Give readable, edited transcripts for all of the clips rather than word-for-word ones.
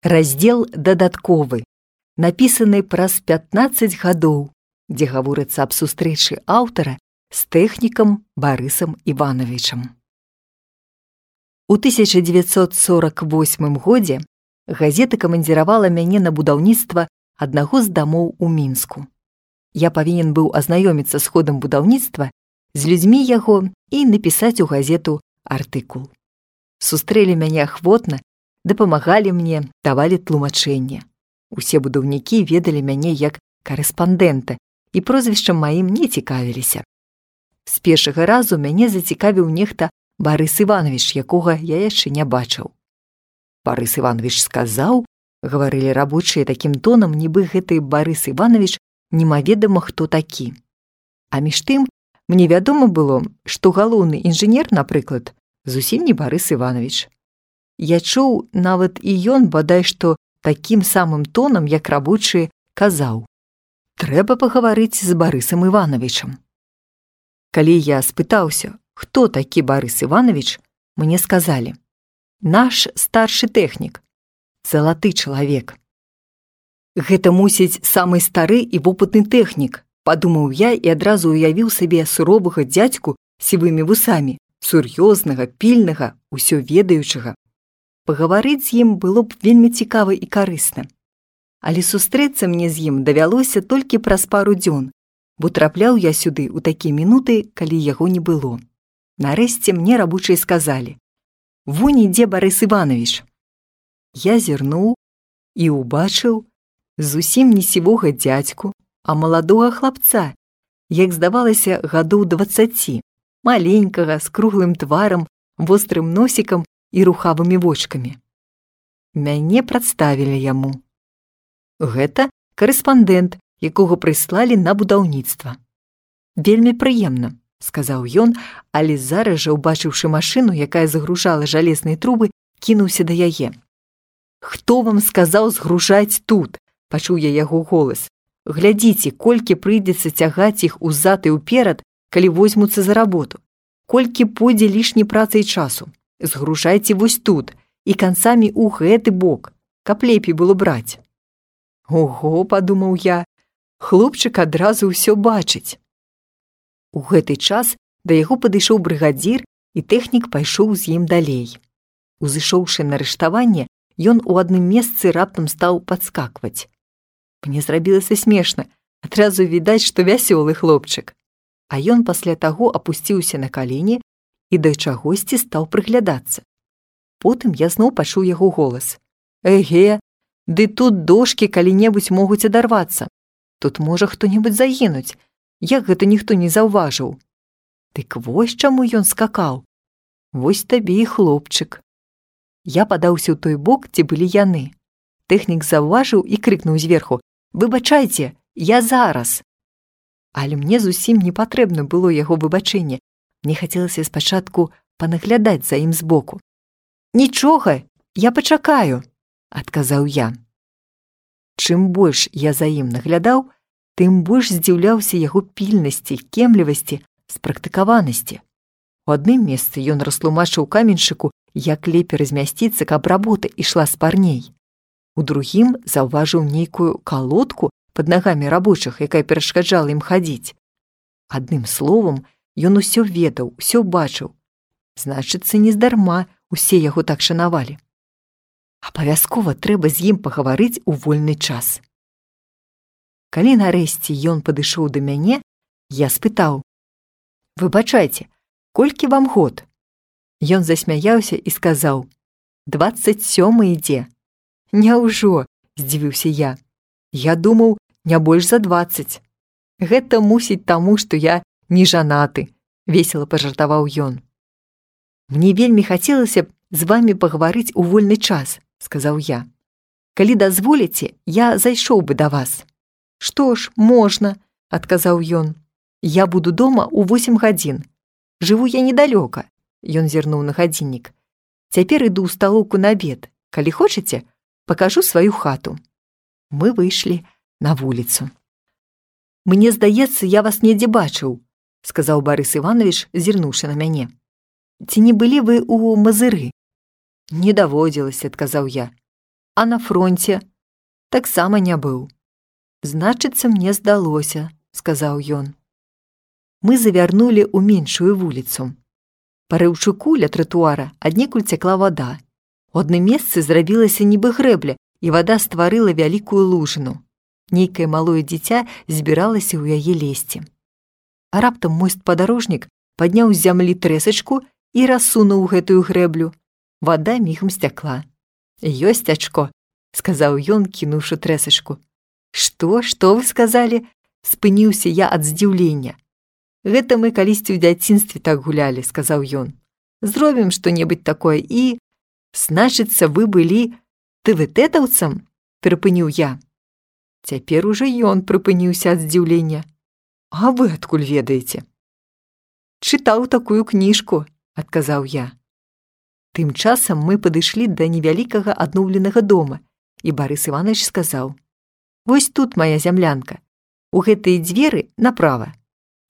Раздзел дадатковы, напісаны праз 15 гадоў, дзе гаворыцца аб сустрэчы аўтара з тэхнікам Барысам Івановичам. У 1948 годзе газета камандзіравала мяне на будаўніцтва аднаго з дамоў у Мінску. Я павінен быў азнаёміцца з ходам будаўніцтва, з людзьмі яго і напісаць у газету артыкул. Сустрэлі мяне ахвотна, дапамагалі мне, давалі тлумачэнне. Усе будаўнікі ведалі мяне як карэспандэнта і прозвішчам маім не цікавіліся. З першага разу мяне зацікавіў нехта Барыс Іванович, якога я яшчэ не бачыў. Барыс Іванович сказаў, гаварылі рабочыя такім тонам, нібы гэты Барыс Іванович немаведама хто такі. А між тым, мне вядома было, што галоўны інжынер, напрыклад, зусім не Барыс Іванович. Я чуў, нават і ён, бадай што, такім самым тоном, як рабочыя, казаў: «Трэба пагаварыць з Барысам Івановичам». Калі я спытаўся, хто такі Барыс Іванович, мне сказалі: «Наш старшы тэхнік, залаты чалавек». Гэта, мусіць, самы стары і вопытны тэхнік, падумаў я і адразу уявіў сабе суровага дзядзьку з сівымі вусамі, сур'ёзнага, пільнага, усё ведаючага. Пагаварыць з ім было б вельмі цікава і карысна. Але сустрэцца мне з ім давялося толькі праз пару дзён, бо трапляў я сюды ў такія мінуты, калі яго не было. Нарэшце мне рабочыя сказалі: «Вунь ідзе Барыс Іванович». Я зірнуў і ўбачыў зусім не сівога дзядзьку, а маладога хлапца, як здавалася, гадоў 20, маленькага, з круглым тварам, вострым носікам і рухавымі вочкамі. Мяне прадставілі яму. Гэта карэспандэнт, якога прыслалі на будаўніцтва. «Вельмі прыемна», – сказаў ён, але зараз жа, убачыўшы машыну, якая загружала жалезныя трубы, кінуўся да яе. «Хто вам сказаў згружаць тут?» – пачуў я яго голас. «Глядзіце, колькі прыйдзецца цягаць іх узад і ўперад, калі возьмуцца за работу. Колькі пойдзе лішняй працы і часу. Згружайце вось тут і канцамі ў гэты бок, каб лепей было браць». «Ого», – падумаў я, – хлопчык адразу ўсё бачыць. У гэты час да яго падышоў брыгадзір, і тэхнік пайшоў з ім далей. Узышоўшы на рыштаванне, ён у адным месцы раптам стаў падскакваць. Мне зрабілася смешна, адразу відаць, што вясёлы хлопчык. А ён пасля таго апусціўся на калені і да чагосьці стаў прыглядацца. Потым я зноў пачуў яго голас. «Эге, ды тут дошкі калі-небудзь могуць адарвацца. Тут можа хто-небудзь загінуць. Як гэта ніхто не заўважыў?» Дык вось чаму ён скакаў. Вось табе і хлопчык. Я падаўся ў той бок, дзе былі яны. Тэхнік заўважыў і крыкнуў зверху: «Выбачайце, я зараз!» Але мне зусім не патрэбна было яго выбачэнне. Мне хацелася спачатку панаглядаць за ім збоку. «Нічога, я пачакаю», – адказаў я. Чым больш я за ім наглядаў, тым больш здзіўляўся яго пільнасці, кемлівасці, спрактыкаванасці. У адным месцы ён растлумачыў каменшчыку, як лепей размясціцца, каб работа ішла спарней. У другім заўважыў нейкую калодку пад нагамі рабочых, якая перашкаджала ім хадзіць. Адным словам, ён усё ведаў, усё бачыў. Значыцца, нездарма усе яго так шанавалі. Абавязкова трэба з ім пагаварыць у вольны час. Калі нарэшце ён падышоў да мяне, я спытаў: «Выбачайце, колькі вам год?» Ён засмяяўся і сказаў: «27 ідзе». «Няўжо?» – здзівіўся я. «Я думаў, не больш за 20. Гэта мусіць таму, што я не жанаты», – весела пажартаваў ён. «Мне вельмі хацелася б з вамі пагаварыць у вольны час», – сказаў я. «Калі дазволіце, я зайшоў бы да вас». «Што ж, можна», – адказаў ён. «Я буду дома ў 8 гадзін. Жыву я недалёка», – ён зірнуў на гадзіннік. «Цяпер іду ў сталоўку на абед. Калі хочаце, пакажу сваю хату». Мы выйшлі на вуліцу. «Мне здаецца, я вас недзе бачыў», – сказаў Барыс Іванович, зірнуўшы на мяне. «Ці не былі вы ў Мазыры?» «Не даводзілася», – адказаў я. А на фронце таксама не быў. Значыцца, мне здалося, сказаў ён. Мы завярнулі ў меншую вуліцу. Па рыўчуку ля тратуара аднекуль цякла вада. У адным месцы зрабілася нібы грэбля, і вада стварыла вялікую лужыну. Нейкае малое дзіця збіралася ў яе лезці. А раптам мой спадарожнік падняў з зямлі трэсачку і рассунуў гэтую грэблю. Вада мігам сцякла. «Ёсць ачко», – сказаў ён, кінуўшы трэсачку. Што вы сказалі?» – спыніўся я ад здзіўлення. «Гэта мы калісьці ў дзяцінстве так гулялі», – сказаў ён. «Зробім што-небудзь такое і...» «Значыцца, вы былі ТВТ-таўцам?» – перапыніў я. Цяпер ужо ён прыпыніўся ад здзіўлення. «А вы адкуль ведаеце?» «Чытаў такую кніжку», – адказаў я. Тым часам мы падышлі да невялікага адноўленага дома, і Барыс Іванович сказаў: «Вось тут моя зямлянка. У гэтыя дзверы направа.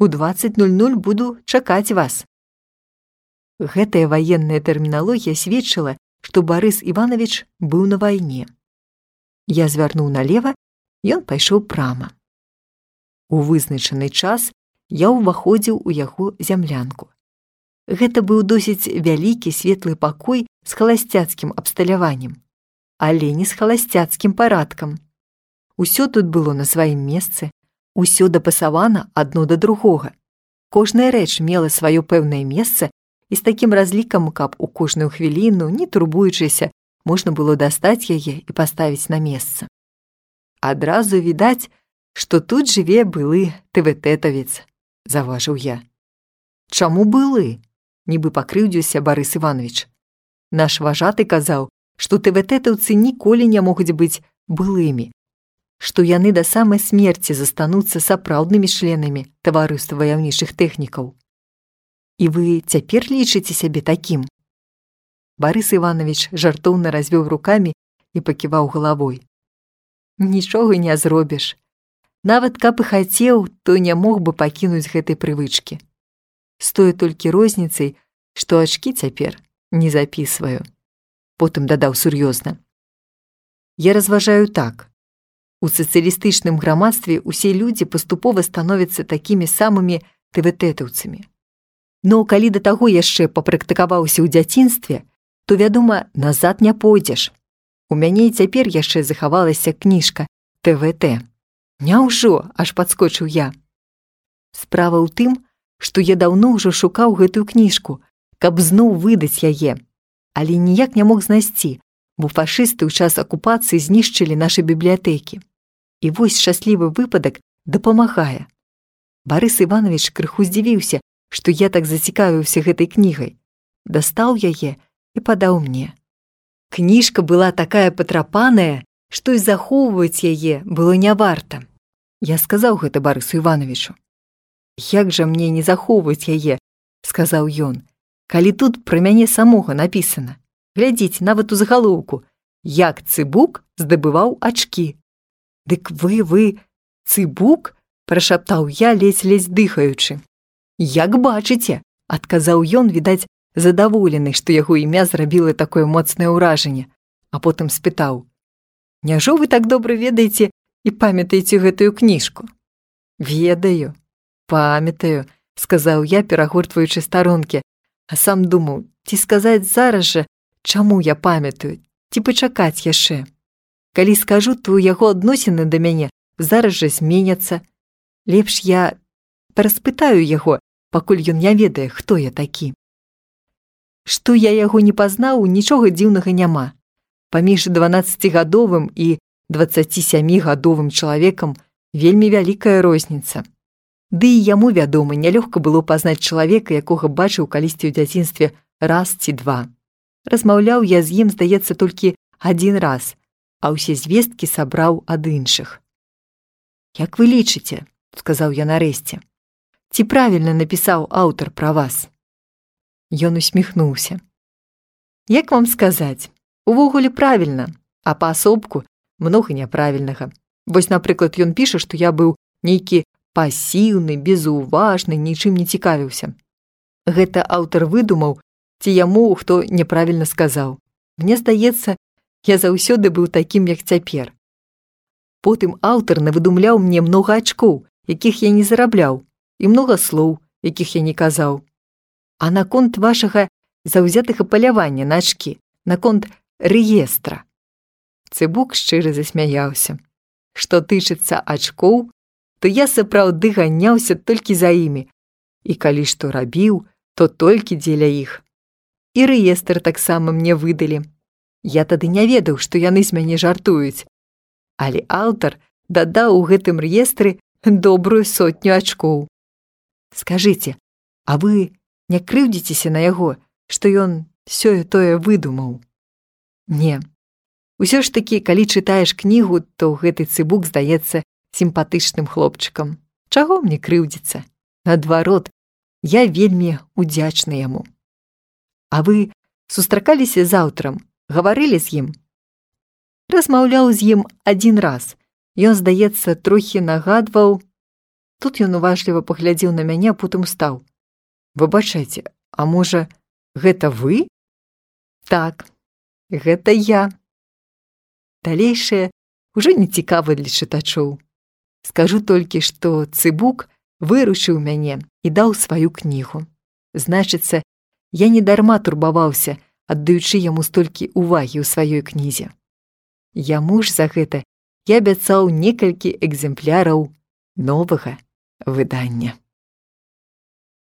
У 20:00 буду чакаць вас». Гэтая ваенная тэрміналогія сведчыла, што Барыс Іванович быў на вайне. Я звярнуў налева, ён пайшоў прама. У вызначаны час я ўваходзіў у яго зямлянку. Гэта быў досыць вялікі светлы пакой з халасцяцкім абсталяваннем, але не з халасцяцкім парадкам. Усё тут было на сваім месцы, усё дапасавана адно да другога. Кожная рэч мела сваё пэўнае месца і з такім разлікам, каб у кожную хвіліну, не турбуючыся, можна было дастаць яе і паставіць на месца. Адразу відаць, што тут жыве былы ТВТ-тавец, заўважыў я. Чаму былы? Нібы пакрыўдзіўся Барыс Іванович. Наш важаты казаў, што ТВТ-таўцы ніколі не могуць быць былымі, што яны да самай смерці застануцца сапраўднымі членамі таварыства ваяўнічых тэхнікаў. І вы цяпер лічыце сябе такім? Барыс Іванович жартоўна развёў рукамі і паківаў галавой. Нічога не зробіш. Нават каб і хацеў, то не мог бы пакінуць гэтай прывычкі. З тое толькі розніцай, што ачкі цяпер не запісваю. Потым дадаў сур'ёзна. Я разважаю так. У сацыялістычным грамадстве усе людзі паступова становяцца такімі самымі ТВТ-таўцамі. Но калі да таго яшчэ папрактыкаваўся ў дзяцінстве, то, вядома, назад не пойдзеш. У мяне і цяпер яшчэ захавалася кніжка ТВТ. Няўжо, аж падскочыў я. Справа ў тым, што я даўно ўжо шукаў гэтую кніжку, каб зноў выдаць яе, але ніяк не мог знайсці, бо фашысты ў час акупацыі знішчылі нашы бібліятэкі. І вось шчаслівы выпадак дапамагае. Барыс Іванович крыху здзівіўся, што я так зацікавіўся гэтай кнігай. Дастаў яе і падаў мне. Кніжка была такая патрапаная, што і захоўваць яе было не варта. Я сказаў гэта Барысу Івановичу. «Як жа мне не захоўваць яе?» – сказаў ён. «Калі тут пра мяне самога напісана. Глядзіце, нават у загалоўку. Як Цыбук здабываў ачкі». «Дык вы, Цыбук?» – прашаптаў я, ледзь дыхаючы. «Як бачыце», – адказаў ён, відаць, задаволены, што яго імя зрабіла такое моцнае ўражанне, а потым спытаў: «Няжо вы так добра ведаеце і памятаеце гэтую кніжку?» «Ведаю, памятаю», – сказаў я, перагортваючы старонкі, а сам думаў, ці сказаць зараз жа, чаму я памятаю, ці пачакаць яшчэ. Калі скажу, то яго адносіны да мяне зараз жа зменяцца. Лепш я пераспытаю яго, пакуль ён не ведае, хто я такі. Што я яго не пазнаў, нічога дзіўнага няма. Паміж 12-гадовым і 27-гадовым чалавекам вельмі вялікая розніца. Ды і яму, вядома, нялёгка было пазнаць чалавека, якога бачыў калісьці ў дзяцінстве раз ці два. Размаўляў я з ім, здаецца, толькі адзін раз, а ўсе звесткі сабраў ад іншых. «Як вы лічыце?» – сказаў я нарэшце. «Ці правільна напісаў аўтар пра вас?» Ён усміхнуўся. «Як вам сказаць? Увогуле правільна, а паасобку многа няправільнага. Вось, напрыклад, ён піша, што я быў нейкі пасіўны, безуважны, нічым не цікавіўся. Гэта аўтар выдумаў, ці яму хто няправільна сказаў. Мне здаецца, Я заўсёды быў такім, як цяпер. Потым аўтар навыдумляў мне многа ачкоў, якіх я не зарабляў, і многа слоў, якіх я не казаў. А наконт вашага заўзятага палявання на ачкі, наконт рэестра. Цыбук шчыра засмяяўся. Што тычыцца ачкоў, то я сапраўды ганяўся толькі за імі, і калі што рабіў, то толькі дзеля іх. І рэестр таксама мне выдалі. Я тады не ведаў, што яны з мяне жартуюць. Але аўтар дадаў у гэтым рэестры добрую 100 ачкоў. Скажыце, а вы не крыўдзіцеся на яго, што ён сёе-тое выдумаў? Не. Усё ж такі, калі чытаеш кнігу, то гэты цыбук здаецца сімпатычным хлопчыкам. Чаго мне крыўдзіцца? Наадварот, я вельмі удзячны яму. А вы сустракаліся з аўтарам, гаварылі з ім? Размаўляў з ім адзін раз. Ён, здаецца, трохі нагадваў. Тут ён уважліва паглядзеў на мяне, а потым стаў. Выбачайце, а можа, гэта вы? Так, гэта я. Далейшае ўжо не цікава для чытачоў. Скажу толькі, што цыбук вырушыў мяне і даў сваю кнігу. Значыцца, я не дарма турбаваўся, аддаючы яму столькі увагі ў сваёй кнізе. Яму ж за гэта я абяцаў некалькі экземпляраў новага выдання.